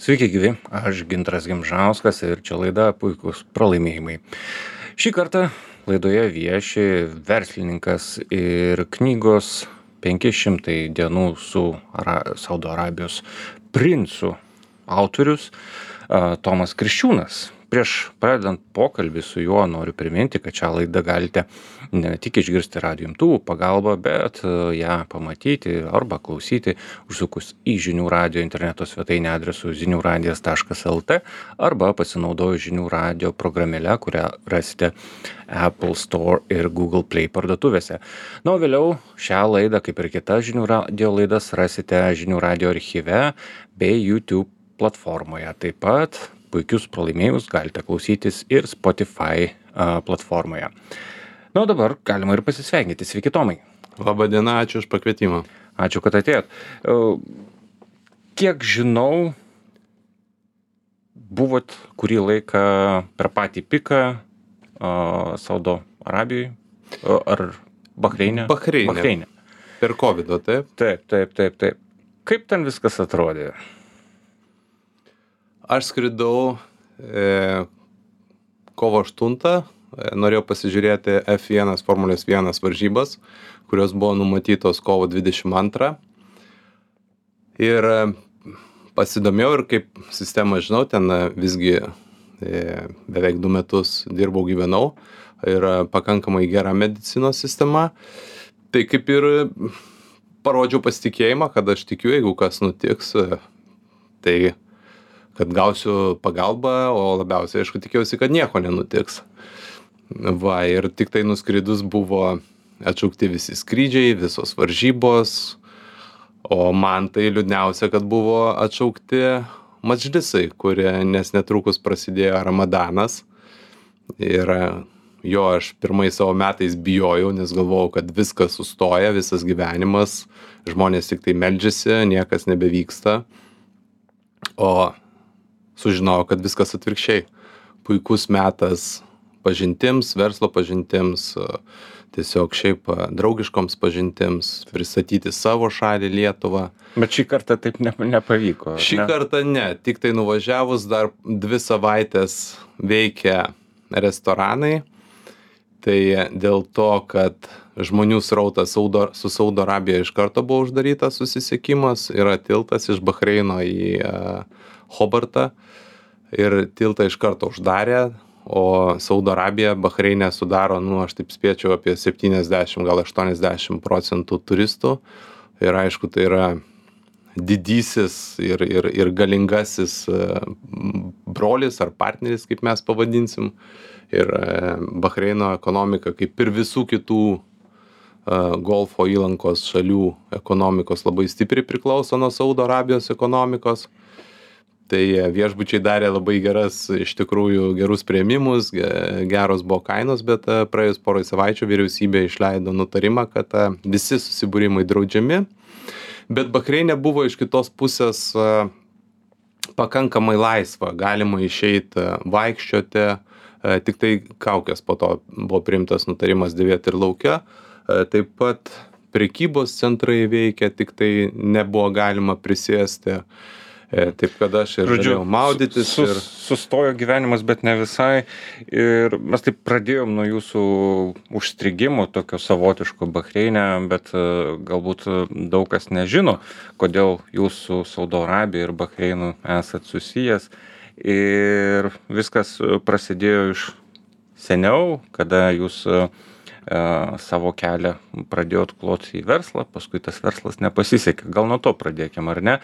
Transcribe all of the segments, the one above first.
Sveiki gyvi, aš Gintaras Gimžauskas ir čia laida Puikūs pralaimėjimai. Šį kartą laidoje vieši verslininkas ir knygos 500 dienų su Saudo Arabijos princu autorius Tomas Kriščiūnas. Prieš pradedant pokalbį su juo noriu priminti, kad šią laidą galite ne tik išgirsti radijo imtuvų pagalba, bet ją pamatyti arba klausyti užsukus į Žinių radijo interneto svetainę adresu ziniuradijas.lt arba pasinaudojus Žinių radijo programėle, kurią rasite Apple Store ir Google Play parduotuvėse. Na, o vėliau šią laidą, kaip ir kitas Žinių radijo laidas, rasite Žinių radijo archyve bei YouTube platformoje. Taip pat puikius pralaimėjimus galite klausytis ir Spotify platformoje. Na, o dabar galima ir pasisveikinti. Sveiki, Tomai. Labą dieną, ačiū už pakvietimą. Ačiū, kad atėjot. Kiek žinau, buvot kurį laiką per patį piką Saudo Arabijoje ar Bahreine? Bahreine. Per COVID-o, taip? Taip. Kaip ten viskas atrodė? Aš skridau kovo 8, norėjau pasižiūrėti F1 Formulės 1 varžybas, kurios buvo numatytos kovo 22. Ir pasidomėjau ir kaip sistemą žinau, ten visgi beveik 2 metus dirbau, gyvenau ir pakankamai gera medicinos sistema. Tai kaip ir parodžiau pasitikėjimą, kad aš tikiu, jeigu kas nutiks, tai kad gausiu pagalbą, o labiausiai, aišku, tikėjausi, kad nieko nenutiks. Va, ir tik tai nuskridus buvo atšaukti visi skrydžiai, visos varžybos, o man tai liūdniausia, kad buvo atšaukti madžlisai, nes netrukus prasidėjo Ramadanas. Ir jo aš pirmais savo metais bijojau, nes galvojau, kad viskas sustoja, visas gyvenimas, žmonės tik tai meldžiasi, niekas nebevyksta. O sužinojau, kad viskas atvirkščiai. Puikus metas pažintims, verslo pažintims, tiesiog šiaip draugiškoms pažintims, pristatyti savo šalį Lietuvą. Bet šį kartą taip nepavyko. Šį kartą ne, tik tai nuvažiavus dar 2 savaitės veikia restoranai. Tai dėl to, kad žmonių srautas su Saudo Arabija iš karto buvo uždarytas susisiekimas, yra tiltas iš Bahreino į Hobartą ir tiltą iš karto uždarė, o Saudo Arabija Bahreine sudaro, aš taip spėčiau, apie 70, gal 80% turistų. Ir aišku, tai yra didysis ir galingasis brolis ar partneris, kaip mes pavadinsim. Ir Bahreino ekonomika, kaip ir visų kitų Golfo įlankos šalių ekonomikos, labai stipriai priklauso nuo Saudo Arabijos ekonomikos. Tai viešbučiai darė labai iš tikrųjų gerus priėmimus, geros buvo kainos, bet praėjus porai savaičių vyriausybė išleido nutarimą, kad visi susibūrimai draudžiami. Bet Bahreine buvo iš kitos pusės pakankamai laisva, galima išeiti vaikščioti, tik tai kaukės po to buvo priimtas nutarimas dėvėti ir lauke. Taip pat prekybos centrai veikia, tik tai nebuvo galima prisėsti. Taip, kad aš ir galėjau maudytis. Sustojo gyvenimas, bet ne visai. Ir mes taip pradėjom nuo jūsų užstrigimo, tokio savotiško Bahreine, bet galbūt daug kas nežino, kodėl jūs su Saudo Arabija ir Bahreinu esat susijęs. Ir viskas prasidėjo iš seniau, kada jūs savo kelią pradėjot kloti į verslą, paskui tas verslas nepasisekė. Gal nuo to pradėkim, ar ne?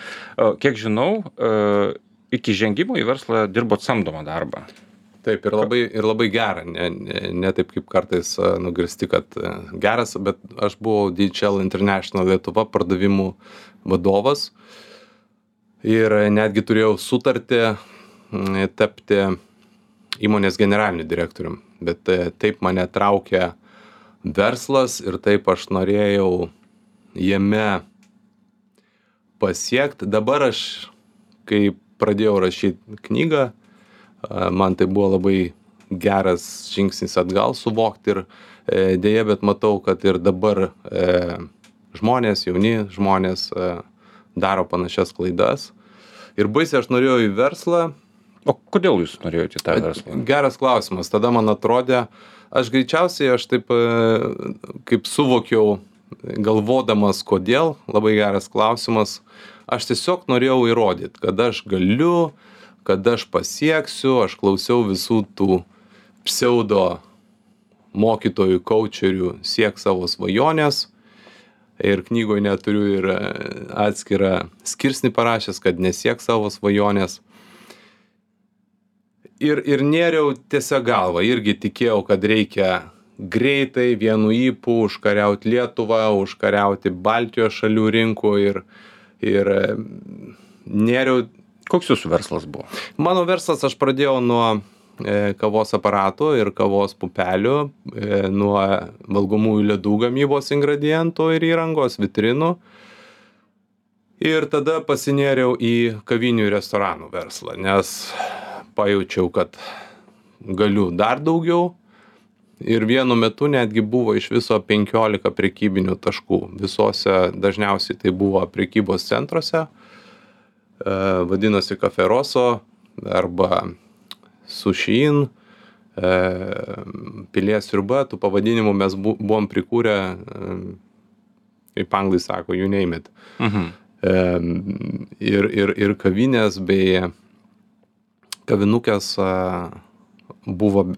Kiek žinau, iki žengimo į verslą dirbot samdomą darbą. Taip, ir labai gerą. Ne taip kaip kartais nugirsti, kad geras, bet aš buvau DHL International Lietuva pardavimų vadovas ir netgi turėjau sutartį tapti įmonės generaliniu direktorium. Bet taip mane traukė verslas ir taip aš norėjau jame pasiekti. Dabar aš, kai pradėjau rašyti knygą, man tai buvo labai geras žingsnis atgal suvokti ir dėja, bet matau, kad ir dabar žmonės, jauni žmonės daro panašias klaidas Ir baisiai aš norėjau į verslą. O kodėl jūs norėjote į tą verslą? Geras klausimas. Tada man atrodė, aš taip kaip suvokiau, galvodamas kodėl, labai geras klausimas, aš tiesiog norėjau įrodyti, kad aš galiu, kad aš pasieksiu, aš klausiau visų tų pseudo mokytojų, coacherių, siek savo svajonės. Ir knygoje neturiu ir atskirą skirsnį parašęs, kad nesiek savo svajonės. Ir nėriau tiesiog galvą, irgi tikėjau, kad reikia greitai vienu ypu užkariauti Lietuvą, užkariauti Baltijos šalių rinkų ir nėriau. Koks jūsų verslas buvo? Mano verslas, aš pradėjau nuo kavos aparatų ir kavos pupelių, nuo valgomųjų ledų gamybos ingredientų ir įrangos, vitrinų. Ir tada pasinėriau į kavinių ir restoranų verslą, nes pajaučiau, kad galiu dar daugiau. Ir vienu metu netgi buvo iš viso 15 prekybinių taškų. Visose dažniausiai tai buvo prekybos centruose. Vadinosi Cafe Rosso arba Sushin, Pilies sriuba. Tų pavadinimų mes buvom prikūrę, kaip anglai sako, you name it. Ir kavinės bei kavinukės buvo,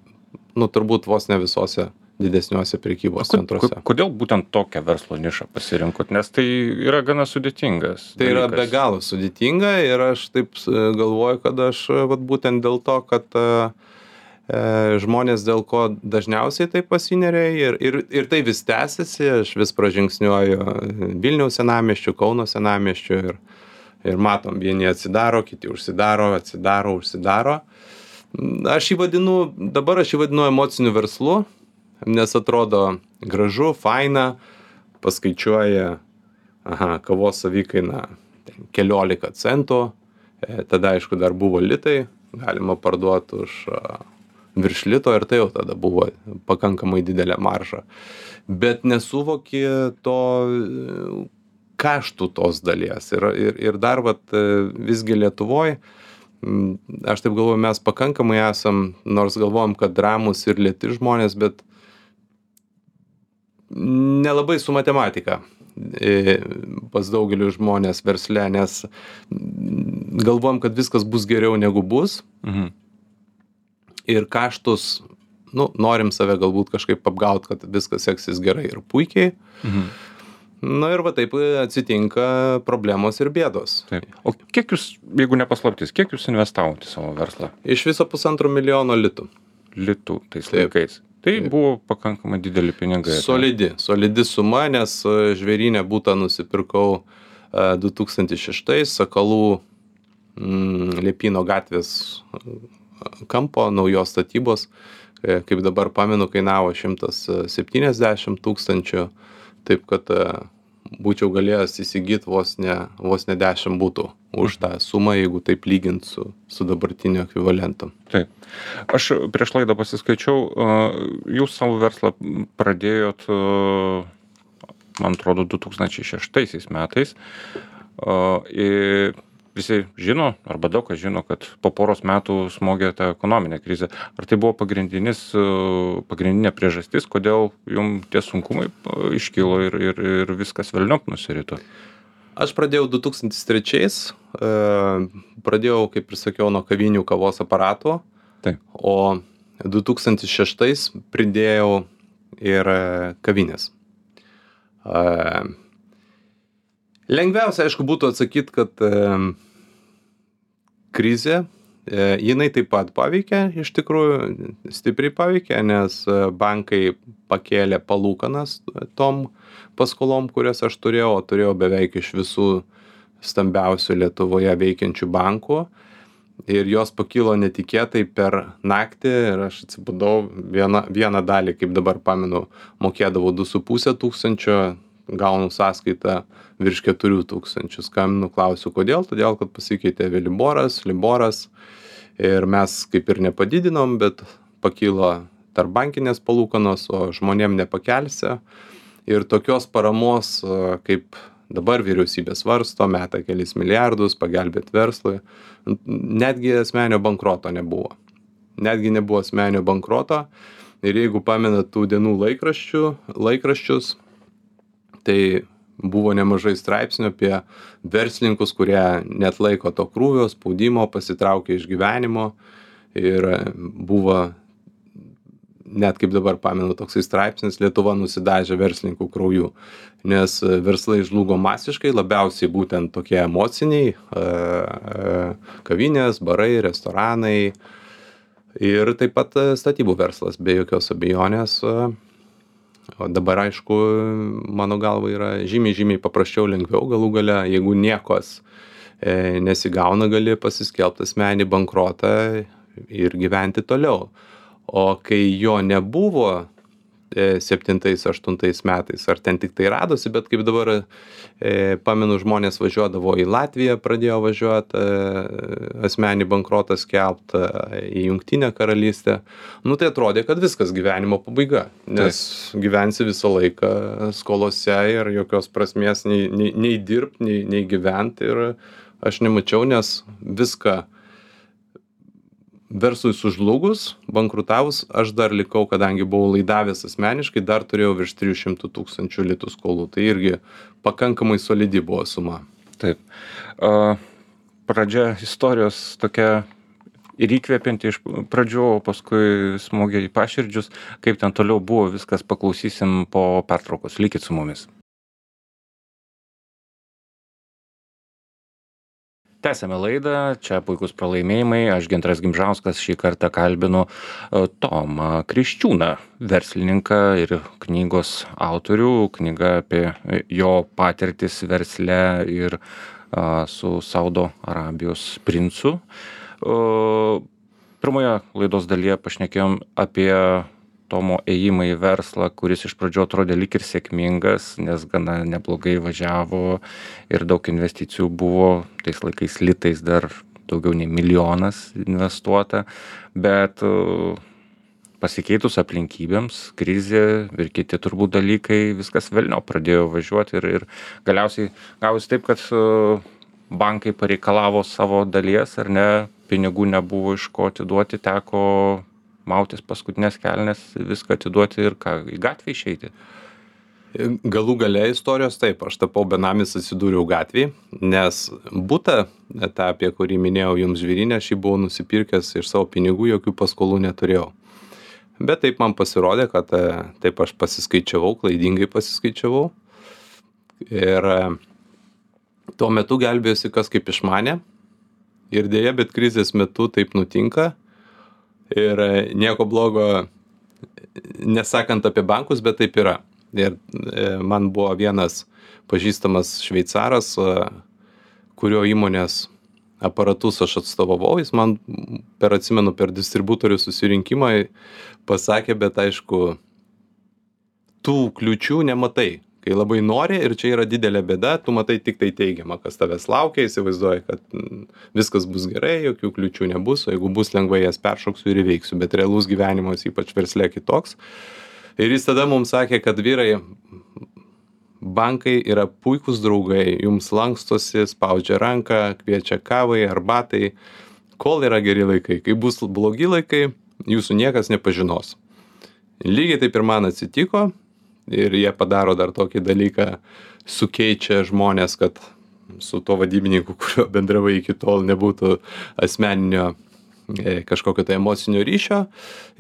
turbūt vos ne visose didesniuose prekybos centruose. Kodėl būtent tokią verslo nišą pasirinkot? Nes tai yra gana sudėtingas dalykas. Tai yra be galo sudėtinga ir aš taip galvoju, kad aš būtent dėl to, kad žmonės dėl ko dažniausiai taip pasineria ir tai vis tęsiasi, aš vis pražingsniuoju Vilniaus senamiesčiu, Kauno senamiesčiu ir matom, vieni atsidaro, kiti užsidaro, užsidaro. Dabar aš jį vadinu emociniu verslu, nes atrodo gražu, faina, paskaičiuoja, kavos savikaina keliolika centų, tada aišku dar buvo litai, galima parduoti už virš lito ir tai jau tada buvo pakankamai didelė marža. Bet nesuvoki to kaštų tos dalies ir dar visgi Lietuvoj, aš taip galvoju, mes pakankamai esam, nors galvojam, kad ramūs ir lėti žmonės, bet nelabai su matematika pas daugeliu žmonės versle, nes galvojam, kad viskas bus geriau negu bus. Ir kaštus, norim save galbūt kažkaip apgaut, kad viskas seksis gerai ir puikiai. Ir taip atsitinka problemos ir bėdos. Taip. O kiek jūs, jeigu nepaslaptis, kiek jūs investavote į savo verslą? Iš viso 1,5 milijono litų. Litų tais laikais. Tai buvo pakankamai dideli pinigai. Solidi suma, nes žvėrynę butą nusipirkau 2006, Sakalų Liepyno gatvės kampo, naujos statybos, kaip dabar pamenu, kainavo 170 000. Taip, kad būčiau galėjęs įsigyti vos ne 10 butų už tą sumą, jeigu taip lygint su dabartiniu ekvivalentu. Taip. Aš prieš laidą pasiskaičiau, jūs savo verslą pradėjot, man atrodo, 2006 metais. Visi žino, arba daug kas žino, kad po poros metų smogė tą ekonominę krizę. Ar tai buvo pagrindinė priežastis, kodėl jums tie sunkumai iškilo ir viskas velniop nusirito? Aš pradėjau 2003, pradėjau, kaip ir sakiau, nuo kavinių kavos aparatų, Taip. O 2006 pridėjau ir kavinės. Lengviausia, aišku, būtų atsakyti, kad krizė, jinai taip pat paveikė, iš tikrųjų stipriai paveikė, nes bankai pakėlė palūkanas tom paskolom, kurias aš turėjau beveik iš visų stambiausių Lietuvoje veikiančių bankų. Ir jos pakilo netikėtai per naktį ir aš atsibudau vieną dalį, kaip dabar pamenu, mokėdavau 2,5 tūkstančio, gaunu sąskaitą virš 4 tūkstančių. Skambinu, klausiu, kodėl? Todėl, kad pasikeitė Liboras ir mes kaip ir nepadidinom, bet pakilo tarpbankinės palūkanos, o žmonėm nepakelsi. Ir tokios paramos kaip dabar vyriausybė svarsto, meta kelis milijardus, pagelbėt verslui. Netgi asmeninio bankroto nebuvo. Netgi nebuvo asmeninio bankroto. Ir jeigu pamenat tų dienų laikraščius, tai buvo nemažai straipsnių apie verslininkus, kurie neatlaiko to krūvio, spaudimo, pasitraukia iš gyvenimo. Ir buvo, net kaip dabar pamenu, toksai straipsnis, Lietuva nusidažė verslininkų krauju. Nes verslai žlugo masiškai, labiausiai būtent tokie emociniai, kavinės, barai, restoranai. Ir taip pat statybų verslas, be jokios abejonės. O dabar, aišku, mano galva yra žymiai paprasčiau, lengviau galų gale, jeigu niekos nesigauna, gali pasiskelbti asmeninį bankrotą ir gyventi toliau. O kai jo nebuvo 7-8 metais, ar ten tik tai radosi, bet kaip dabar pamenu, žmonės važiuodavo į Latviją, pradėjo važiuoti asmenį bankrotą skelbti į Jungtinę karalystę. Nu tai atrodė, kad viskas gyvenimo pabaiga, nes gyvensi visą laiką skolose ir jokios prasmės nei dirbti, nei gyventi. Ir aš nemačiau, nes viską verslui sužlugus, bankrutavus, aš dar likau, kadangi buvau laidavęs asmeniškai, dar turėjau virš 300 000 litų skolų. Tai irgi pakankamai solidi buvo suma. Taip. Pradžia istorijos tokia ir įkvepianti iš pradžių, o paskui smogė į paširdžius. Kaip ten toliau buvo, viskas paklausysim po pertraukos. Likit su mumis. Tęsėme laidą, čia puikus pralaimėjimai, aš Gintaras Gimžauskas šį kartą kalbinu Tomą Kriščiūną, verslininką ir knygos autorių, knyga apie jo patirtis versle ir su Saudo Arabijos princu. Pirmoje laidos dalyje pašnekėjom apie Tomo ėjimą į verslą, kuris iš pradžių atrodė lyg ir sėkmingas, nes gana neblogai važiavo ir daug investicijų buvo, tais laikais litais dar daugiau nei 1 milijonas investuota, bet pasikeitus aplinkybėms, krizė ir kiti turbūt dalykai, viskas velniop pradėjo važiuoti ir galiausiai gavosi taip, kad bankai pareikalavo savo dalies, ar ne, pinigų nebuvo iš ko atiduoti, teko mautis paskutinės kelnes, viską atiduoti ir į gatvę išeiti. Galų gale istorijos taip, aš tapau benamis, atsidūriau gatvėj, nes butą, tą apie kurį minėjau jums Žvėryne, aš jį buvau nusipirkęs iš savo pinigų, jokių paskolų neturėjau. Bet taip man pasirodė, kad taip aš pasiskaičiavau, klaidingai pasiskaičiavau. Ir tuo metu gelbėjosi kas kaip išmanė. Ir dėja, bet krizės metu taip nutinka. Ir nieko blogo nesakant apie bankus, bet taip yra. Ir man buvo vienas pažįstamas šveicaras, kurio įmonės aparatus aš atstovavau, jis man atsimenu per distributorių susirinkimą pasakė, bet aišku, tų kliučių nematai. Kai labai nori ir čia yra didelė bėda, tu matai tik tai teigiamą, kas tavęs laukia, įsivaizduoji, kad viskas bus gerai, jokių kliučių nebus, o jeigu bus lengvai jas peršoksiu ir įveiksiu, bet realus gyvenimas, ypač versle, kitoks. Ir jis tada mums sakė, kad vyrai, bankai yra puikūs draugai, jums lankstosi, spaudžia ranką, kviečia kavai, arbatai, kol yra geri laikai. Kai bus blogi laikai, jūsų niekas nepažinos. Lygiai taip ir man atsitiko. Ir jie padaro dar tokį dalyką, sukeičia žmonės, kad su to vadybininku, kurio bendravai iki tol, nebūtų asmeninio kažkokio tai emocinio ryšio.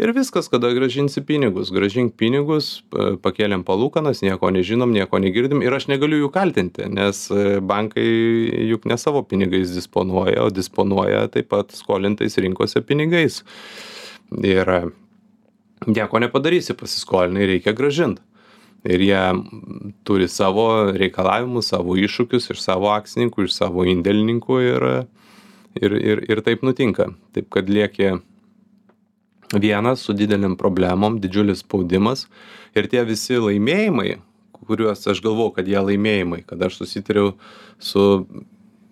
Ir viskas, kada grąžinsi pinigus. Grąžink pinigus, pakėlėm palūkanas, nieko nežinom, nieko negirdim. Ir aš negaliu jų kaltinti, nes bankai juk ne savo pinigais disponuoja, o disponuoja taip pat skolintais rinkose pinigais. Ir nieko nepadarysi, pasiskolinai reikia grąžinti. Ir jie turi savo reikalavimus, savo iššūkius iš savo akcininkų, iš savo indėlininkų ir taip nutinka. Taip, kad lieki vienas su dideliam problemom, didžiulis spaudimas ir tie visi laimėjimai, kuriuos aš galvau, kad jie laimėjimai, kad aš susitariau su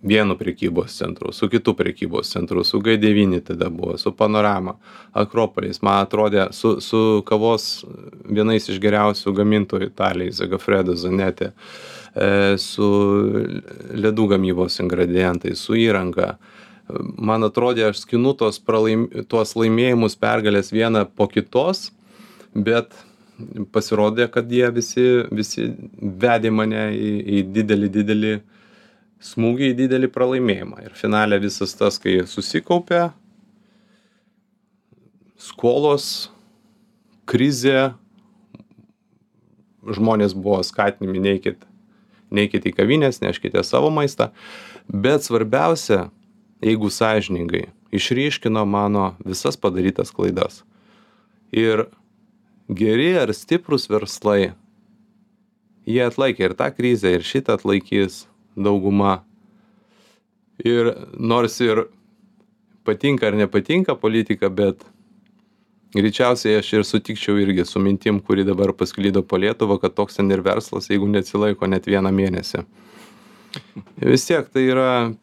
vienu prekybos centru, su kitu prekybos centru, su G9 tada buvo, su Panorama, Akropolis, man atrodė, su kavos vienais iš geriausių gamintojų Italijai, Zagafredo, Zanetė, su ledų gamybos ingredientais, su įranga. Man atrodė, aš skinu tuos laimėjimus, pergalės vieną po kitos, bet pasirodė, kad jie visi vedė mane į didelį smūgį, į didelį pralaimėjimą. Ir finale visas tas, kai susikaupė, skolos, krizė, žmonės buvo skatinami neikit į kavinės, neškite savo maistą, bet svarbiausia, jeigu sąžiningai, išryškino mano visas padarytas klaidas. Ir geri ar stiprūs verslai, jie atlaikė ir tą krizę, ir šitą atlaikys dauguma. Ir nors ir patinka ar nepatinka politika, bet greičiausiai aš ir sutikčiau irgi su mintim, kuri dabar pasklydo po Lietuvą, kad toks ten ir verslas, jeigu neatsilaiko net vieną mėnesį. Vis tiek tai yra,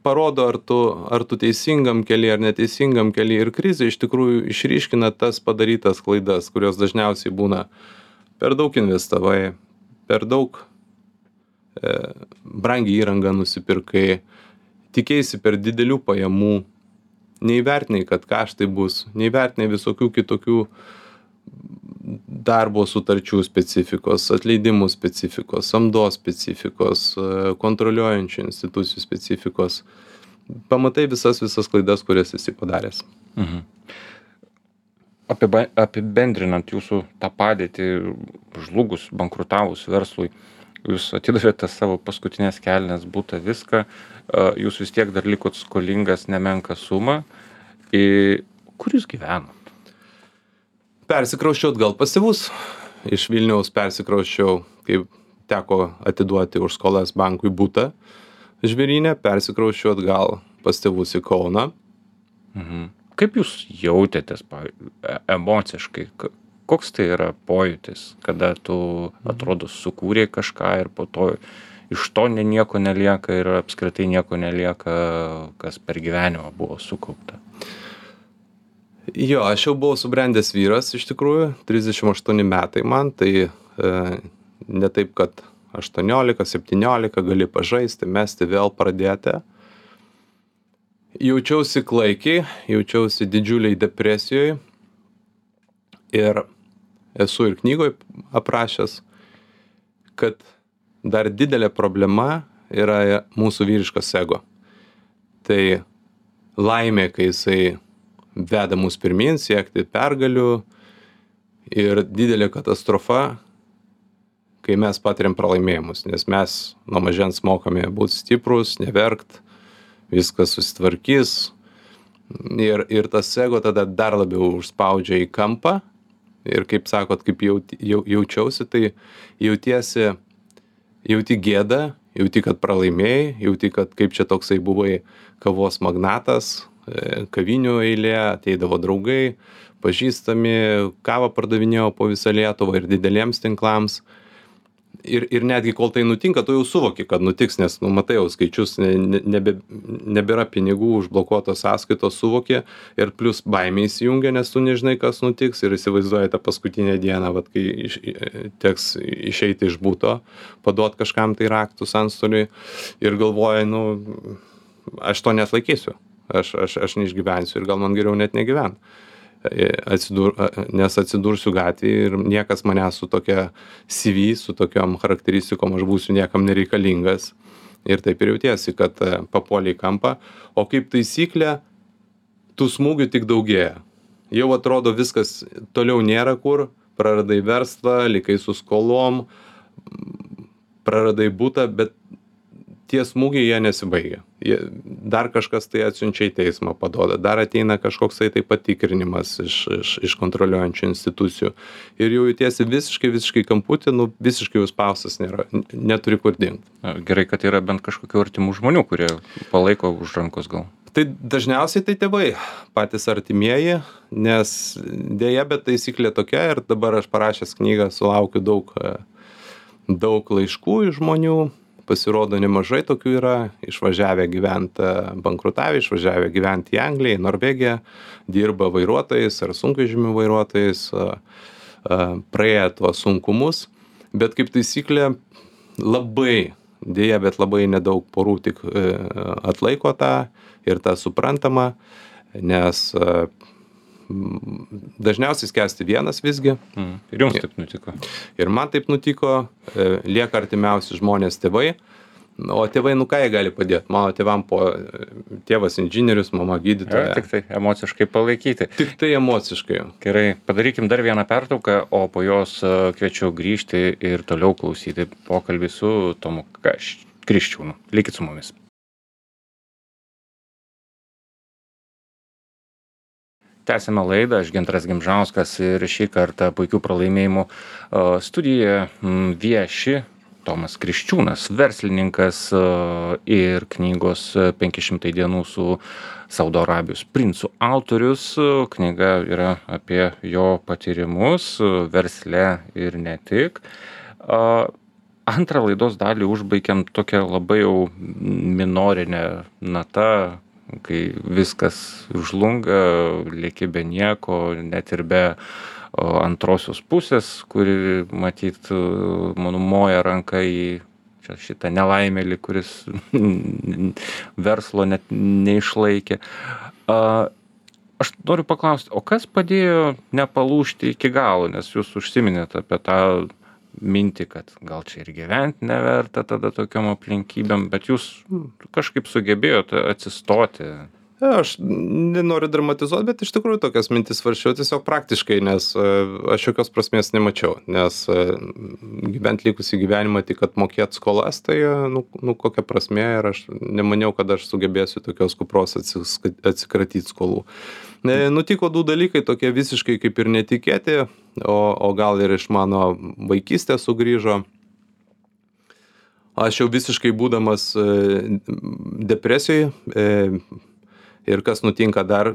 parodo, ar tu teisingam kely, ar neteisingam kely. Ir krizė iš tikrųjų išryškina tas padarytas klaidas, kurios dažniausiai būna per daug investavai, per daug brangiai įrangą nusipirkai, tikėsi per didelių pajamų, neįvertinai, kad kaštai bus, neįvertinai visokių kitokių darbo sutarčių specifikos, atleidimų specifikos, samdos specifikos, kontroliuojančių institucijų specifikos. Pamatai visas klaidas, kurias esi padaręs. Mhm. Apibendrinant jūsų tą padėtį, žlugus, bankrutavus verslui, jūs atidavėte savo paskutinės kelnes, butą, viską, jūs vis tiek dar likot skolingas nemenką sumą. Kur jūs gyvenat? Persikrausčiau atgal pas tėvus. Iš Vilniaus persikrausčiau, kai teko atiduoti už skolas bankui butą Žvėryne, persikrausčiau atgal pas tėvus į Kauną. Mhm. Kaip jūs jautėtės emociškai? Koks tai yra pojūtis, kada tu atrodo sukūrė kažką ir po to iš to nieko nelieka ir apskritai nieko nelieka, kas per gyvenimą buvo sukaupta? Jo, aš jau buvau subrendęs vyras, iš tikrųjų, 38 metai man, tai ne taip, kad 18, 17 gali pažaisti, mesti, vėl pradėti. Jaučiausi klaikiai, jaučiausi didžiuliai depresijoje ir esu ir knygoje aprašęs, kad dar didelė problema yra mūsų vyriškas ego. Tai laimė, kai jisai veda mus pirmin, siekti pergalių, ir didelė katastrofa, kai mes patiriam pralaimėjimus, nes mes nuo mažens mokame būti stiprus, neverkt, viskas susitvarkys, ir tas ego tada dar labiau užspaudžia į kampą, ir kaip sakot, kaip jaučiausi, tai jauti gėdą, jauti, kad pralaimėjai, jauti, kad kaip čia toksai buvai kavos magnatas, kavinių eilė, ateidavo draugai, pažįstami, kavą pardavinėjo po visą Lietuvą ir dideliems tinklams. Ir netgi kol tai nutinka, tu jau suvoki, kad nutiks, nes matai jau skaičius, nebėra pinigų, užblokuotos sąskaitos, suvoki, ir plus baimė įsijungia, nes tu nežinai, kas nutiks, ir įsivaizduoji tą paskutinę dieną, vat, kai teks išeiti iš buto, paduot kažkam tai raktus antstoliui, ir galvoji, aš to neatlaikysiu. Aš neišgyvensiu ir gal man geriau net negyvent. Nes atsidursiu gatvėje ir niekas manęs su tokia CV, su tokiom charakteristikom aš būsiu niekam nereikalingas. Ir taip ir jautiesi, kad papuolė į kampą. O kaip taisyklė, tų smūgių tik daugėja. Jau atrodo viskas toliau nėra kur, praradai verslą, likai su skolom, praradai butą, bet tie smūgiai jie nesibaigia. Dar kažkas tai atsiunčia į teismą paduoda, dar ateina kažkoksai tai patikrinimas iš kontroliuojančių institucijų. Ir jau jautiesi visiškai kamputį, visiškai užspaustas nėra, neturi kur dingti. Gerai, kad yra bent kažkokių artimų žmonių, kurie palaiko už rankos gal. Tai dažniausiai tai tėvai, patys artimieji, nes dėja, bet taisyklė tokia, ir dabar aš parašęs knygą sulaukiu daug laiškų iš žmonių. Pasirodo, nemažai tokių yra, išvažiavę gyventi, bankrutavę, išvažiavę gyventi į Angliją, į Norvegiją, dirba vairuotojais ar sunkvežimių vairuotojais, praėję tuos sunkumus, bet kaip taisyklė labai, dėja, bet labai nedaug porų tik atlaiko tą ir tą suprantama, nes dažniausiai skęsti vienas visgi. Ir jums taip nutiko. Ir man taip nutiko, lieka artimiausi žmonės tėvai. O tėvai, ką jie gali padėti? Mano tėvam tėvas inžinierius, mama gydytoja. Tik tai emociškai palaikyti. Tik tai emociškai. Gerai, padarykim dar vieną pertrauką, o po jos kviečiu grįžti ir toliau klausyti pokalbį su Tomu Kriščiūnu. Likit su mumis. Tęsime laidą, aš Gintaras Gimžauskas ir šį kartą puikių pralaimėjimų studijoje vieši Tomas Kriščiūnas, verslininkas ir knygos 500 dienų su Saudo Arabijos princu autorius. Knyga yra apie jo patyrimus versle ir ne tik. Antrą laidos dalį užbaigiam tokią labai jau minorinę natą, kai viskas žlunga, lieki be nieko, net ir be antrosios pusės, kuri, matyt, mano moja ranka į šitą nelaimėlį, kuris verslo net neišlaikė. Aš noriu paklausti, o kas padėjo nepalūžti iki galo, nes jūs užsiminėt apie tą mintį, kad gal čia ir gyventi neverta tada tokiom aplinkybėm, bet jūs kažkaip sugebėjote atsistoti. Aš nenoriu dramatizuoti, bet iš tikrųjų tokias mintis svarsčiau tiesiog praktiškai, nes aš jokios prasmės nemačiau, nes gyventi likusį gyvenimą tik atmokėti skolas, tai kokia prasmė, ir aš nemaniau, kad aš sugebėsiu tokios kupros atsikratyti skolų. Nutiko du dalykai, tokie visiškai kaip ir netikėti, o gal ir iš mano vaikystės sugrįžo. Aš jau visiškai būdamas depresijoj, ir kas nutinka dar,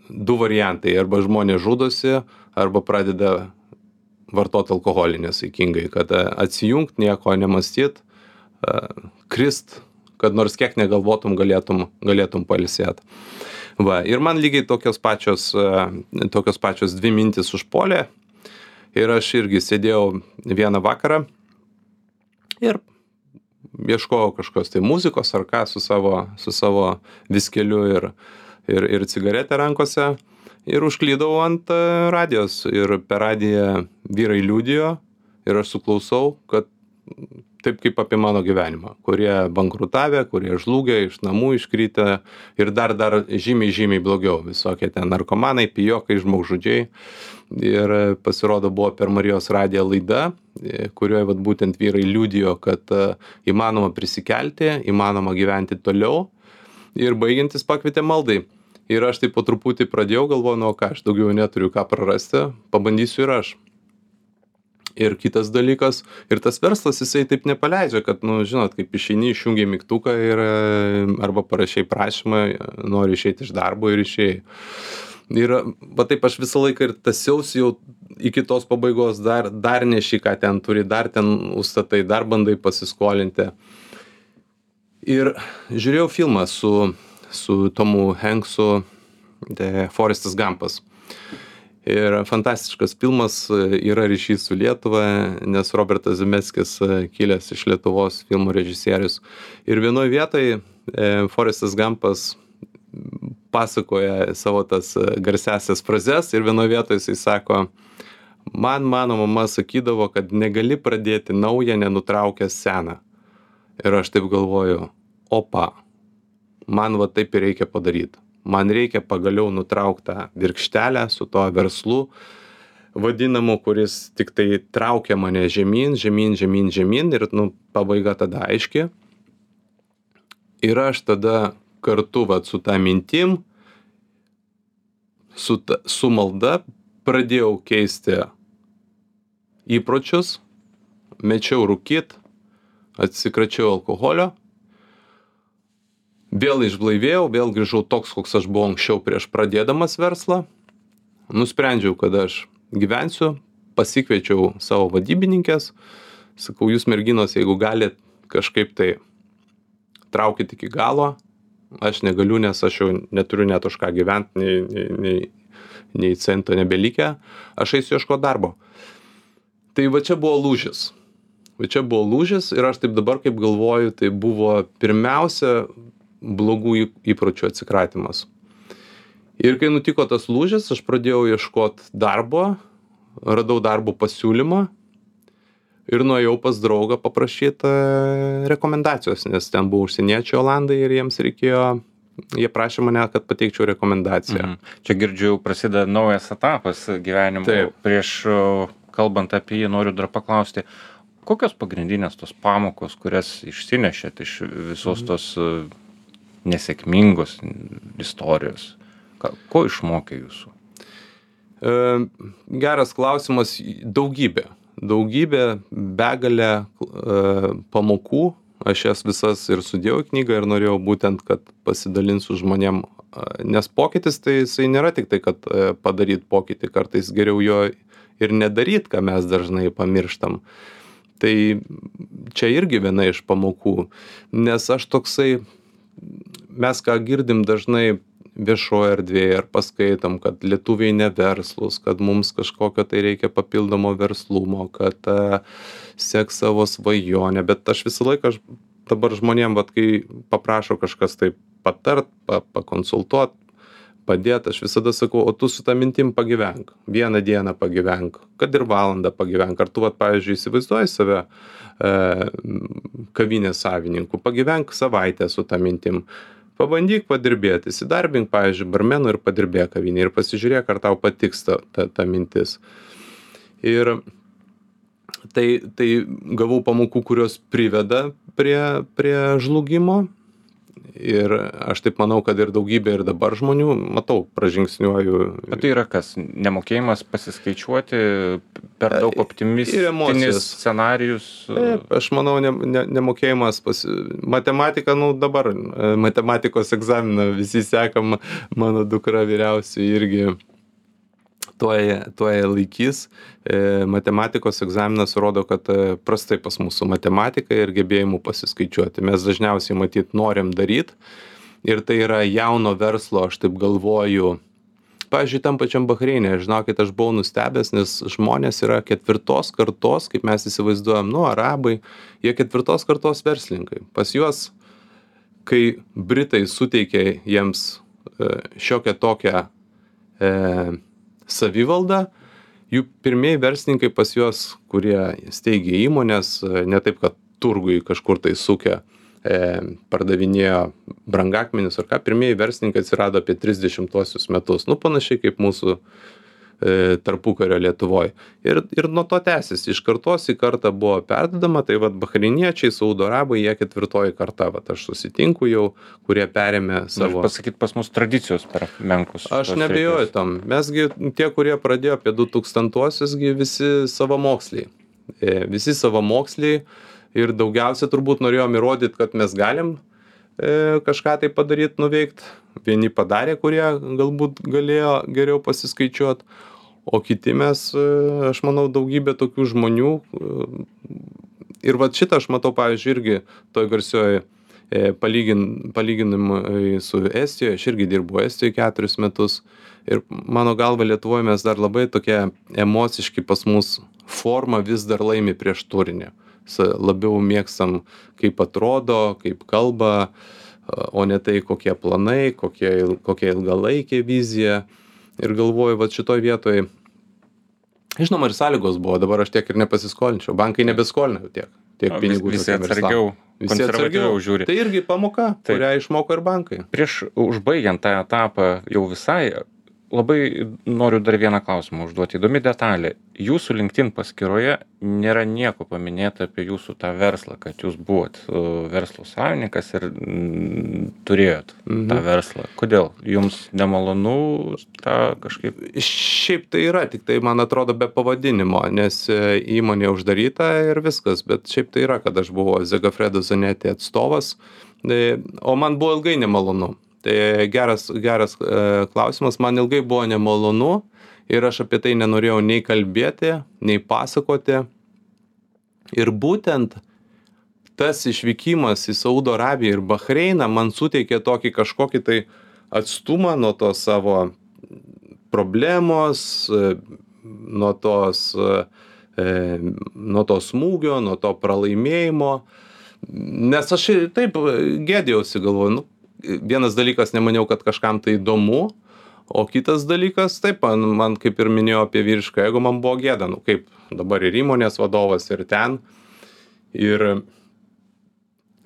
du variantai, arba žmonės žudosi, arba pradeda vartoti alkoholį nesaikingai, kad atsijungt, nieko nemąstyt, krist, kad nors kiek negalvotum, galėtum pailsėt. Va, ir man lygiai tokios pačios dvi mintis užpuolė, ir aš irgi sėdėjau vieną vakarą ir ieškojau kažkokios tai muzikos ar ką su savo viskeliu ir cigaretę rankose, ir užklydau ant radijos, ir per radiją vyrai liudijo, ir aš suklausau, kad taip kaip apie mano gyvenimą, kurie bankrutavę, kurie žlugę, iš namų iškritę, ir dar žymiai blogiau, visokie ten narkomanai, pijokai, žmogžudžiai. Ir pasirodo buvo per Marijos radiją laida, kurioje būtent vyrai liudijo, kad įmanoma prisikelti, įmanoma gyventi toliau, ir baigiantis pakvietė maldai. Ir aš taip po truputį pradėjau, galvoju, aš daugiau neturiu ką prarasti, pabandysiu ir aš. Ir kitas dalykas, ir tas verslas jisai taip nepaleidžia, kad, žinot, kaip išeini, išjungi mygtuką ir arba parašiai prašymą, nori išeiti iš darbo ir išėjai. Ir taip aš visą laiką ir tasiausi jau iki tos pabaigos, dar neši, ką ten turi, dar ten užstatai, dar bandai pasiskolinti. Ir žiūrėjau filmą su Tomu Hanksu, Forestas Gampas. Ir fantastiškas filmas, yra ryšys su Lietuva, nes Robertas Zemeckis kilęs iš Lietuvos, filmų režisierius. Ir vienoje vietoje Forestas Gampas pasakoja savo tas garsiasias frazes, ir vienoje vietoje jisai sako, mano mama sakydavo, kad negali pradėti naują, nenutraukęs seną. Ir aš taip galvoju, opa, man taip ir reikia padaryti. Man reikia pagaliau nutrauktą virkštelę su to verslu vadinamu, kuris tik tai traukia mane žemyn, ir pabaiga tada aiški. Ir aš tada kartu su tą mintim, su malda pradėjau keisti įpročius, mečiau rūkyt, atsikračiau alkoholio, vėl išblaivėjau, vėl grįžau toks, koks aš buvau anksčiau prieš pradėdamas verslą. Nusprendžiau, kad aš gyvensiu, pasikviečiau savo vadybininkės, sakau, jūs merginos, jeigu galit kažkaip tai traukit iki galo, aš negaliu, nes aš jau neturiu net už ką gyventi, nei cento nebelikę, aš eisiu ieškoti darbo. Tai čia buvo lūžis. Va čia buvo lūžis ir aš taip dabar kaip galvoju, tai buvo pirmiausia blogų įpročių atsikratymas. Ir kai nutiko tas lūžis, aš pradėjau ieškoti darbo, radau darbo pasiūlymą ir nuėjau pas draugą paprašyti rekomendacijos, nes ten buvo užsieniečiai olandai ir jiems reikėjo, jie prašė mane, kad pateikčiau rekomendaciją. Čia girdžiu, prasideda naujas etapas gyvenimo. Taip. Prieš kalbant apie jį, noriu dar paklausti, kokios pagrindinės tos pamokos, kurias išsinešėt iš visos tos nesėkmingos istorijos? Ko išmokė jūsų? Geras klausimas. Daugybė, begalė pamokų. Aš jas visas ir sudėjau į knygą ir norėjau būtent, kad pasidalinsiu žmonėm. Nes pokytis tai jisai nėra tik tai, kad padaryt pokytį. Kartais geriau jo ir nedaryt, ką mes dažnai pamirštam. Tai čia irgi viena iš pamokų. Nes aš toksai, mes ką girdim dažnai viešoje erdvėje ar paskaitom, kad lietuviai neverslūs, kad mums kažkokio tai reikia papildomo verslumo, kad sek savo svajonę, bet aš visą laiką, dabar žmonėm, vat, kai paprašo kažkas tai patart, pakonsultuot, padėt, aš visada sakau, o tu su tą mintim pagyvenk, vieną dieną pagyvenk, kad ir valandą pagyvenk, ar tu, vat, pavyzdžiui, įsivaizduoji save kavinės savininku, pagyvenk savaitę su tą mintim. Pabandyk padirbėti, įsidarbink, pavyzdžiui, barmenu ir padirbėk kavinėje ir pasižiūrėk, ar tau patiks ta mintis. Ir tai gavau pamokų, kurios priveda prie žlugimo. Ir aš taip manau, kad ir daugybė ir dabar žmonių, matau, pražingsniuoju. Bet tai yra kas? Nemokėjimas pasiskaičiuoti, per daug optimistinis scenarijus? Taip, aš manau, nemokėjimas matematika, dabar matematikos egzaminą visi sekam, mano dukra vyriausiai irgi tuoj laikys. Matematikos egzaminas rodo, kad prastai pas mūsų matematika ir gebėjimu pasiskaičiuoti. Mes dažniausiai matyt norim daryt ir tai yra jauno verslo, aš taip galvoju. Pavyzdžiui, tam pačiam Bahreine, žinokit, aš buvau nustebęs, nes žmonės yra 4 kartos, kaip mes įsivaizduojam, arabai, jie 4 kartos verslininkai. Pas juos, kai Britai suteikė jiems šiokią tokią savivaldą, jų pirmieji verslininkai pas juos, kurie steigė įmonės, ne taip, kad turgui kažkur tai sukę, pardavinėjo brangakmenius ar ką, pirmieji verslininkai atsirado apie 30-osius metus, panašiai kaip mūsų tarpukario Lietuvoj. Ir nuo to tęsiasi, iš kartos į kartą buvo perdedama, tai vat bahreiniečiai, saudo arabai, jie 4 karta, vat aš susitinku jau, kurie perėmė savo. Pasakyt, pas mus tradicijos per menkus. Aš nebejoju tam. Mesgi tie, kurie pradėjo apie 2000-osius, visi savamoksliai. Visi savamoksliai ir daugiausia turbūt norėjom įrodyti, kad mes galim kažką tai padaryti, nuveikti. Vieni padarė, kurie galbūt galėjo geriau pasiskaičiuoti, o kiti mes, aš manau, daugybė tokių žmonių. Ir vat šitą aš matau, pavyzdžiui, irgi toj garsioj palyginimui su Estijoje, aš irgi dirbu Estijoje 4 metus. Ir mano galva Lietuvoje mes dar labai tokie emociški, pas mus forma vis dar laimi prieš turinį. Labiau mėgstam, kaip atrodo, kaip kalba, o ne tai, kokie planai, kokia ilgalaikė vizija. Ir galvoju, vat šitoj vietoj, žinoma, ir sąlygos buvo, dabar aš tiek ir nepasiskolinčiau, bankai nebeskolina tiek pinigų. Visi atsargiau, konservatyviau žiūri. Tai irgi pamoka, kurią išmoko ir bankai. Prieš užbaigiant tą etapą jau visai, labai noriu dar vieną klausimą užduoti. Įdomi detalė. Jūsų LinkedIn paskyroje nėra nieko paminėta apie jūsų tą verslą, kad jūs buvot verslo savininkas ir turėjot tą verslą. Kodėl? Jums nemalonu tą kažkaip? Šiaip tai yra, tik tai man atrodo be pavadinimo, nes įmonė uždaryta ir viskas, bet šiaip tai yra, kad aš buvau Zegafredo Zanetti atstovas, o man buvo ilgai nemalonu. Tai geras klausimas, man ilgai buvo nemalonu ir aš apie tai nenorėjau nei kalbėti, nei pasakoti. Ir būtent tas išvykimas į Saudo Arabiją ir Bahreiną man suteikė tokį kažkokį tai atstumą nuo to savo problemos, nuo tos nuo to smūgio, nuo to pralaimėjimo. Nes aš taip gėdėjausi, galvoju, nu, vienas dalykas nemaniau, kad kažkam tai įdomu, o kitas dalykas, taip, man kaip ir minėjau apie vyrišką ego, man buvo gėda, nu kaip dabar ir įmonės vadovas ir ten.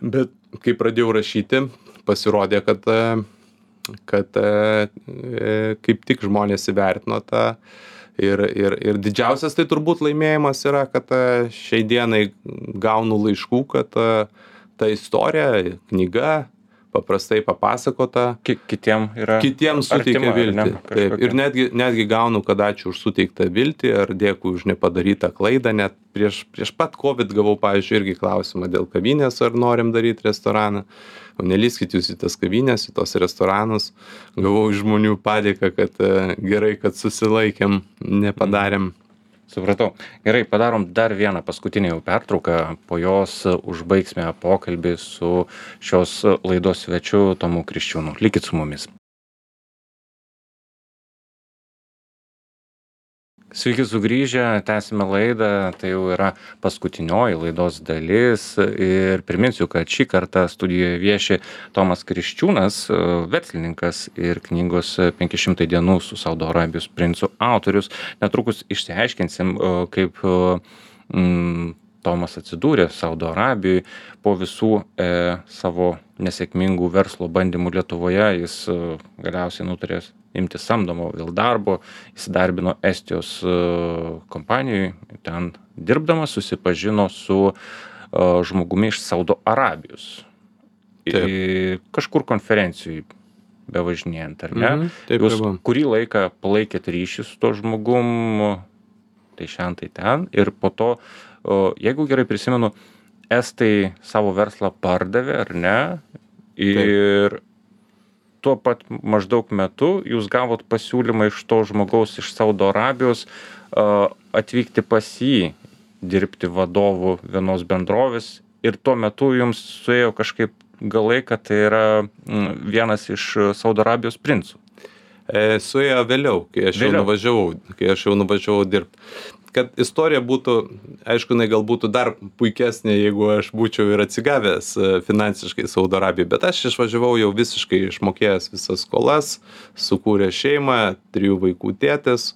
Bet kai pradėjau rašyti, pasirodė, kad kaip tik žmonės įvertino tą. Ir didžiausias tai turbūt laimėjimas yra, kad šiai dienai gaunu laiškų, kad ta istorija, knyga, paprastai papasakota. Kitiems suteikia viltį. Taip, ir netgi gaunu, kad ačiū už suteiktą viltį, ar dėkui už nepadarytą klaidą. Net prieš pat COVID gavau, pavyzdžiui, irgi klausimą dėl kavinės, ar norim daryti restoraną. O nelyskit jūs į tas kavinės, į tos restoranus. Gavau iš žmonių padėką, kad gerai, kad susilaikėm, nepadarėm. Supratau. Gerai, padarom dar vieną paskutinę jau pertrauką, po jos užbaigsime pokalbį su šios laidos svečiu Tomu Kriščiūnu. Likit su mumis. Sveiki sugrįžę, tęsime laidą, tai jau yra paskutinioji laidos dalis ir priminsiu, kad šį kartą studijoje vieši Tomas Kriščiūnas, verslininkas ir knygos 500 dienų su Saudo Arabijos princu autorius. Netrukus išsiaiškinsim, kaip Tomas atsidūrė Saudo Arabijoje po visų savo nesėkmingų verslo bandymų Lietuvoje. Jis galiausiai nutarė imti samdomo vėl darbo, įsidarbino Estijos kompanijoje, ten dirbdamas susipažino su žmogumi iš Saudo Arabijos. Kažkur konferencijai bevažinėjant, ar ne? Taip, jūs kurį laiką palaikėt ryšį su to žmogum, tai šiandien tai ten, ir po to, jeigu gerai prisimenu, Estai savo verslą pardavė, ar ne? Ir tuo pat maždaug metu jūs gavot pasiūlymą iš to žmogaus iš Saudo Arabijos atvykti pas jį, dirbti vadovu vienos bendrovės, ir tuo metu jums suėjo kažkaip galai, kad tai yra vienas iš Saudo Arabijos princų. Suėjo vėliau, kai aš jau nuvažiavau dirbti. Kad istorija būtų, aišku, gal būtų dar puikesnė, jeigu aš būčiau ir atsigavęs finansiškai Saudo Arabijoje, bet aš išvažiavau jau visiškai išmokėjęs visas skolas, sukūrė šeimą, 3 vaikų tėtis.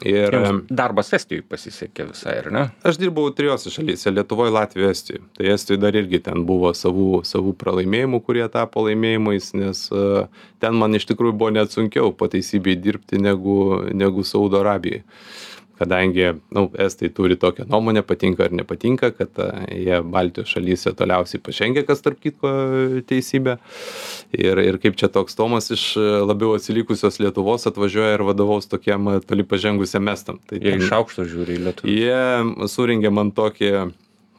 Ir darbas Estijoje pasisekė visai, ar ne? Aš dirbau 3 šalyse, Lietuvoje, Latvijoje, Estijoje. Tai Estijoje dar irgi ten buvo savų pralaimėjimų, kurie tapo laimėjimais, nes ten man iš tikrųjų buvo net sunkiau pataisybei dirbti negu Saudo Arabijoje. Kadangi Estai turi tokią nuomonę, patinka ar nepatinka, kad jie Baltijos šalyse toliausiai pažengė, kas tarp kitko teisybė. Ir kaip čia toks Tomas iš labiau atsilikusios Lietuvos atvažiuoja ir vadovaus tokiam toli pažengusiam estam. Tai jie iš aukšto žiūri į Lietuvą. Jie surengė man tokį,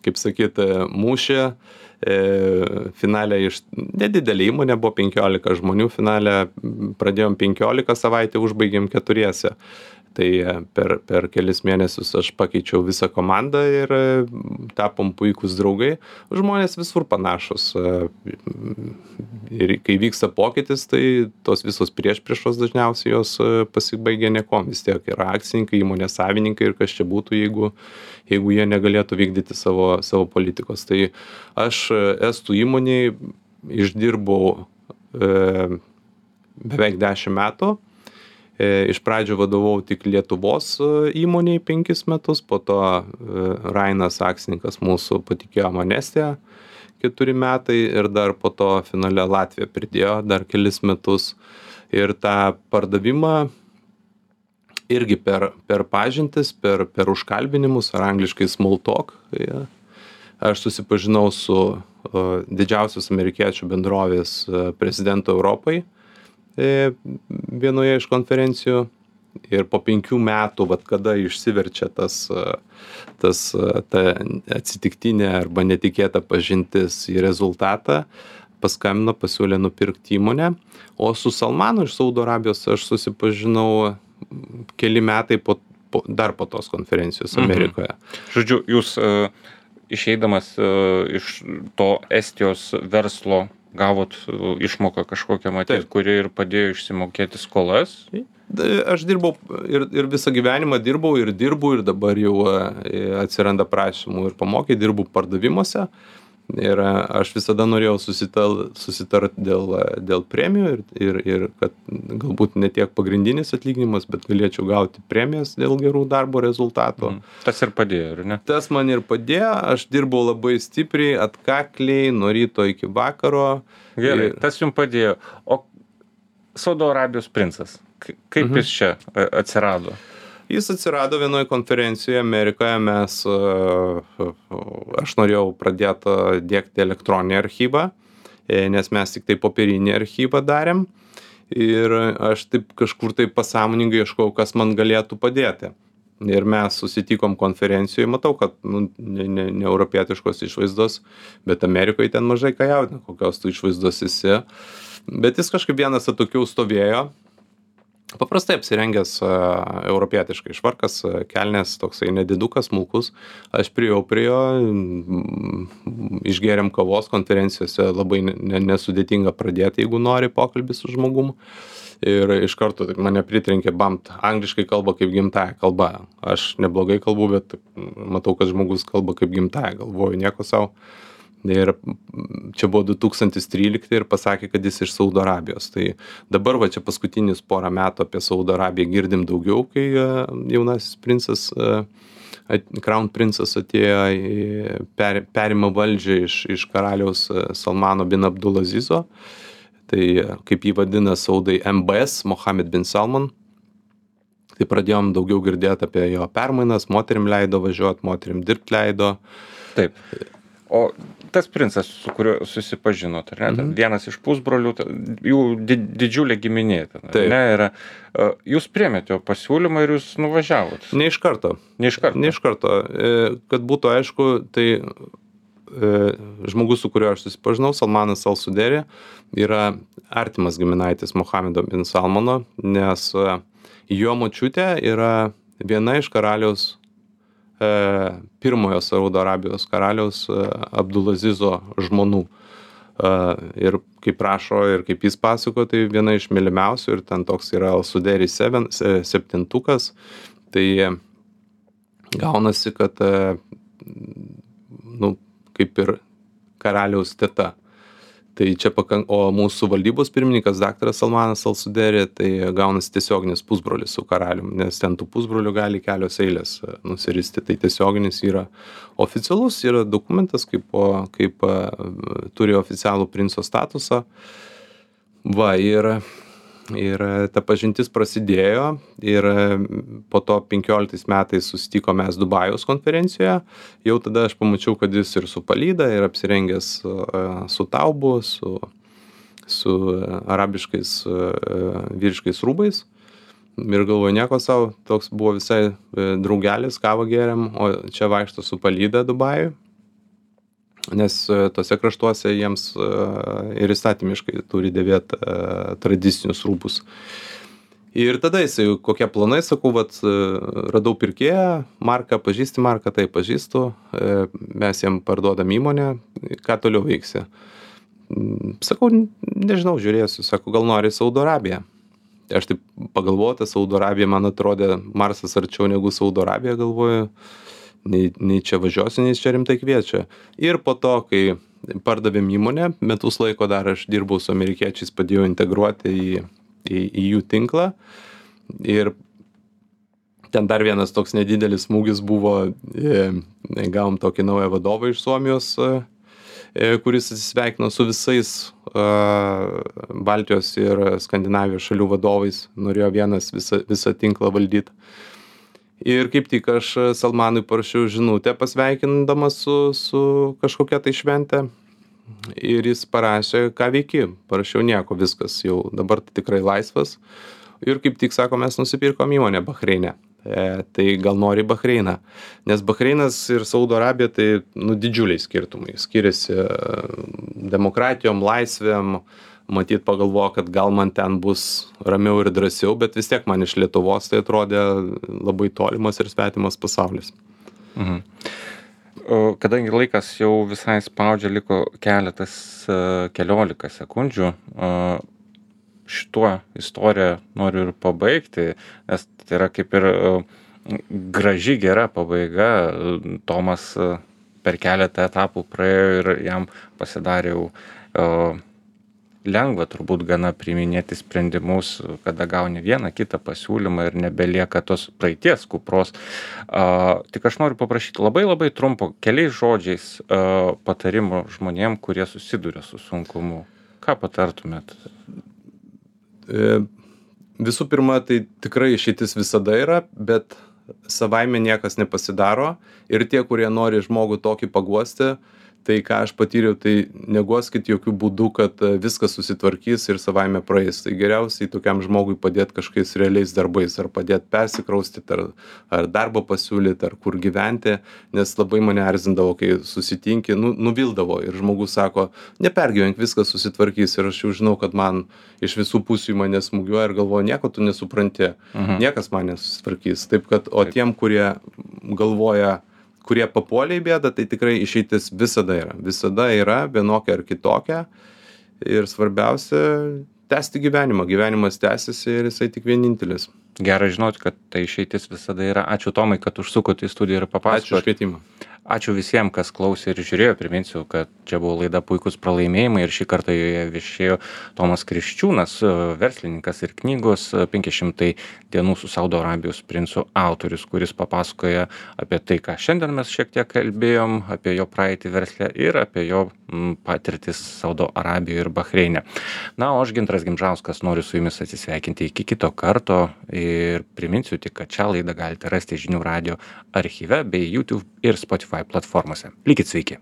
kaip sakyt, mūšį. Finale nedidelė įmonė, buvo 15 žmonių, finale pradėjom 15 savaitę, užbaigėm 4. Tai per kelis mėnesius aš pakeičiau visą komandą ir tapom puikūs draugai. Žmonės visur panašus. Ir kai vyksta pokytis, tai tos visos priešpriešos dažniausiai jos pasibaigia niekom. Vis tiek yra akcininkai, įmonės savininkai ir kas čia būtų, jeigu jie negalėtų vykdyti savo politikos. Tai aš Estų įmonėj išdirbau beveik 10 metų. Iš pradžių vadovau tik Lietuvos įmonėj 5 metus, po to Rainas akcininkas mūsų patikėjo man Estiją 4 metai ir dar po to finale Latvija pridėjo dar kelis metus. Ir tą pardavimą irgi per pažintis, per užkalbinimus, ar angliškai small talk, aš susipažinau su didžiausios amerikiečių bendrovės prezidentu Europai vienoje iš konferencijų, ir po 5 metų, kada išsiverčia ta atsitiktinė arba netikėta pažintis į rezultatą, paskambino, pasiūlė nupirkti įmonę, o su Salmanu iš Saudo Arabijos aš susipažinau keli metai dar po tos konferencijos Amerikoje. Žodžiu, jūs išeidamas iš to Estijos verslo gavot išmoką kažkokią, matyt, kuri ir padėjo išsimokėti skolas? Aš dirbau ir visą gyvenimą dirbau ir dirbu ir dabar jau atsiranda prašymų ir pamokyti, dirbu pardavimuose. Ir aš visada norėjau susitart dėl premijų ir kad galbūt ne tiek pagrindinis atlyginimas, bet galėčiau gauti premijas dėl gerų darbo rezultatų. Tas ir padėjo, ar ne? Tas man ir padėjo, aš dirbau labai stipriai, atkakliai, nuo ryto iki vakaro. Gerai, tas jums padėjo. O Saudo Arabijos princas, kaip jis čia atsirado? Jis atsirado vienoje konferencijoje Amerikoje, aš norėjau pradėti diegti elektroninį archyvą, nes mes tik tai popierinį archyvą darėm ir aš taip kažkur tai pasąmoningai ieškau, kas man galėtų padėti. Ir mes susitikom konferencijoje, matau, kad ne europietiškos išvaizdos, bet Amerikoje ten mažai ką jaudina, kokios tu išvaizdos esi. Bet jis kažkaip vienas atokiau stovėjo, paprastai apsirengęs europietiškai švarkas, kelnės, toksai nedidukas, smulkus. Aš priėjau prie jo, išgėrėm kavos konferencijose, labai nesudėtinga pradėti, jeigu nori pokalbį su žmogum. Ir iš karto mane pritrenkė, angliškai kalba kaip gimtąja kalba. Aš neblogai kalbu, bet matau, kad žmogus kalba kaip gimtąja, galvoju, nieko savo. Ir čia buvo 2013 ir pasakė, kad jis iš Saudo Arabijos. Tai dabar čia paskutinius porą metų apie Saudo Arabiją girdim daugiau, kai jaunasis princas, Crown princas atėjo, perima valdžią iš karaliaus Salmano bin Abdulazizo. Tai kaip jį vadina Saudai MBS, Mohammed bin Salman. Tai pradėjom daugiau girdėti apie jo permainas, moterim leido važiuoti, moterim dirbti leido. Taip. O tas princas, su kuriuo susipažinot, ar ne? Vienas iš pusbrolių, jų didžiulė giminė. Jūs priėmėte jo pasiūlymą ir jūs nuvažiavot? Ne iš karto. Kad būtų aišku, tai žmogus, su kuriuo aš susipažinau, Salmanas Al Suderi, yra artimas giminaitis Mohamedo bin Salmano, nes jo močiutė yra viena iš karaliaus pirmojo Saudo Arabijos karaliaus Abdulazizo žmonų. Ir kaip rašo ir kaip jis pasako, tai viena iš mylimiausių ir ten toks yra Al Suderi septintukas. Tai gaunasi, kad kaip ir karaliaus teta. Tai čia o mūsų valdybos pirmininkas daktaras Salmanas Al Suderi, tai gaunasi tiesioginis pusbrolis su karalium, nes ten tų pusbrolių gali kelios eilės nusiristi. Tai tiesioginis yra oficialus, yra dokumentas, kaip turi oficialų princo statusą. Ir ta pažintis prasidėjo ir po to 15 metais susitiko mes Dubajaus konferencijoje. Jau tada aš pamačiau, kad jis ir su palyda, ir apsirengęs su taubu, su arabiškais vyriškais rūbais. Ir galvoju, nieko savo, toks buvo visai draugelis, kavą gėrėm, o čia vaikšto su palyda Dubajui. Nes tose kraštuose jiems ir įstatymiškai turi dėvėti tradicinius rūbus. Ir tada jisai, kokie planai, sakau, radau pirkėją, Marką, pažįsti Marką, tai pažįstu, mes jam parduodam įmonę, ką toliau veiksi. Sakau, nežinau, žiūrėsiu, sako, gal nori Saudo Arabiją. Aš taip pagalvoju, Saudo Arabija man atrodė Marsas arčiau negu Saudo Arabija, galvoju. Nei čia važiuosiu, nei čia rimtai kviečia. Ir po to, kai pardavėm įmonę, metus laiko dar aš dirbau su amerikiečiais, padėjau integruoti į jų tinklą. Ir ten dar vienas toks nedidelis smūgis buvo, gavom tokį naują vadovą iš Suomijos, kuris atsisveikino su visais Baltijos ir Skandinavijos šalių vadovais, norėjo vienas visą tinklą valdyti. Ir kaip tik aš Salmanui parašiau žinutę pasveikindamas su kažkokia tai šventė. Ir jis parašė, ką veiki. Parašiau nieko, viskas jau dabar tikrai laisvas. Ir kaip tik sako, mes nusipirkom įmonę Bahreine. Tai gal nori Bahreiną. Nes Bahreinas ir Saudo Arabija tai didžiuliai skirtumai. Skiriasi demokratijom, laisvėm. Matyt, pagalvoju, kad gal man ten bus ramiau ir drąsiau, bet vis tiek man iš Lietuvos tai atrodė labai tolimas ir svetimas pasaulis. Kadangi laikas jau visai spaudžia, liko keliolika sekundžių, šituo istoriją noriu ir pabaigti, nes tai yra kaip ir graži, gera pabaiga. Tomas per keletą etapų praėjo ir jam pasidarė jau lengva turbūt gana priiminėti sprendimus, kada gauni vieną kitą pasiūlymą ir nebelieka tos praeities kupros. Tik aš noriu paprašyti labai labai trumpo, keliais žodžiais patarimo žmonėm, kurie susiduria su sunkumu. Ką patartumėt? Visų pirma, tai tikrai išeitis visada yra, bet savaime niekas nepasidaro. Ir tie, kurie nori žmogų tokį paguosti, tai ką aš patyriau, tai neguoskit jokių būdų, kad viskas susitvarkys ir savaime praeis. Tai geriausiai tokiam žmogui padėti kažkokiais realiais darbais, ar padėti persikraustyti, ar darbą pasiūlyti, ar kur gyventi, nes labai mane erzindavo, kai susitinki, nuvildavo ir žmogus sako, nepergyvenk, viskas susitvarkys, ir aš jau žinau, kad man iš visų pusių į mane smūgiuoja ir galvoju, nieko tu nesupranti, niekas man nesusitvarkys. Taip kad, o tiem, kurie galvoja, kurie papuolė į bėdą, tai tikrai išeitis visada yra. Visada yra vienokia ar kitokia. Ir svarbiausia, tęsti gyvenimą. Gyvenimas tęsiasi ir jisai tik vienintelis. Gera žinoti, kad tai išeitis visada yra. Ačiū Tomai, kad užsukote į studiją ir papasakote. Ačiū už kvietimą. Ačiū visiems, kas klausė ir žiūrėjo. Priminsiu, kad čia buvo laida Puikūs pralaimėjimai ir šį kartą joje viešėjo Tomas Kriščiūnas, verslininkas ir knygos 500 dienų su Saudo Arabijos princu autorius, kuris papasakoja apie tai, ką šiandien mes šiek tiek kalbėjom, apie jo praeitį versle ir apie jo patirtis Saudo Arabijoje ir Bahreine. Na, o aš Gintaras Gimžauskas noriu su jumis atsisveikinti iki kito karto ir priminsiu tik, kad šią laidą galite rasti Žinių radijo archyve bei YouTube ir Spotify platformose. Likit sveiki.